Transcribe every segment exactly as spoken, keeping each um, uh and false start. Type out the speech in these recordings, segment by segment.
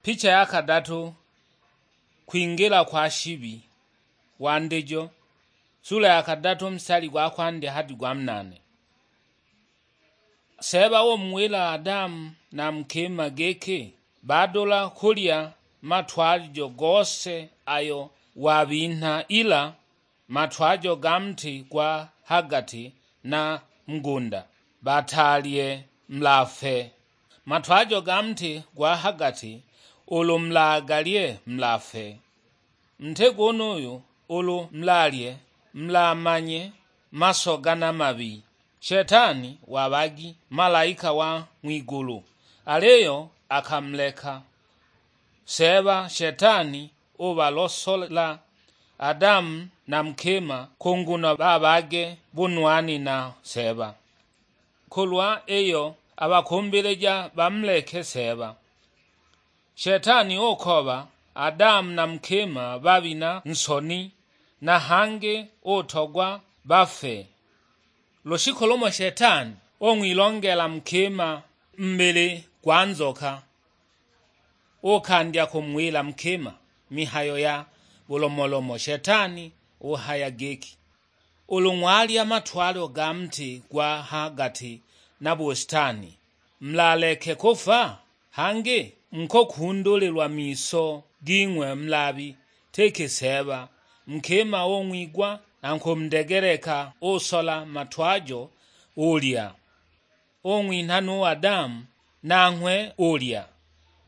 Picha ya kadatu, kwingila kwa shibi. Wandijo, sula ya kadatu, mstari gwa kwandya hadi gwa munane. Seeba umuwila Adamu na nkima giki, badula kulya matwalijo gose ayo wabinha, ila matwajo ga muti gwa hagati na mugunda, batalye mulafe. Matwajo ga muti gwa hagati, ulu mulagalye mulafe. Muti gunuyu ulu mulalye, mulamanye masoga na mabi. Shetani wabagi malaika wa ng'wigulu, aliyo akamuleka. Seeba Shetani ubalosola Adamu na mukima ku nguno babage bunwani na Seeba. Kulwa iyo abakumbilija bamuleke Seeba. Shetani ukoba Adamu na mukima babina nsoni, na hangi utogwa bafe. Lushiku lumo Shetani ung'wilongela mukima mubili gwa nzoka, ukandya kumuwila mukima mihayo ya bulomolomo. Shetani uhaya giki, "Ulu ng'walya matwalo ga muti gwa ha gati na busitani, mulaleke kufa? Hangi mukukundulilwa miso ging'we mulabi tiki Seeba." Mukima ung'wigwa na kumudegeleka, usola matwajo ulya. Ung'winha nu Adamu, nanghwe ulya.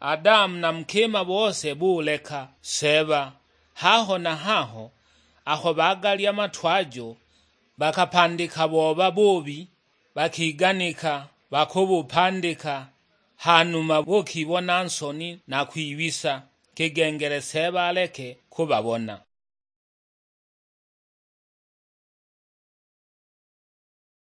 Adamu na mukima bose buleka Seeba. Haho na haho, aho bagalya matwajo, bakapandika booba buubi, bakiganika bakubupandika, hanuma bukibona nsoni na kwibisa, kigengele Seeba aleke kubabona.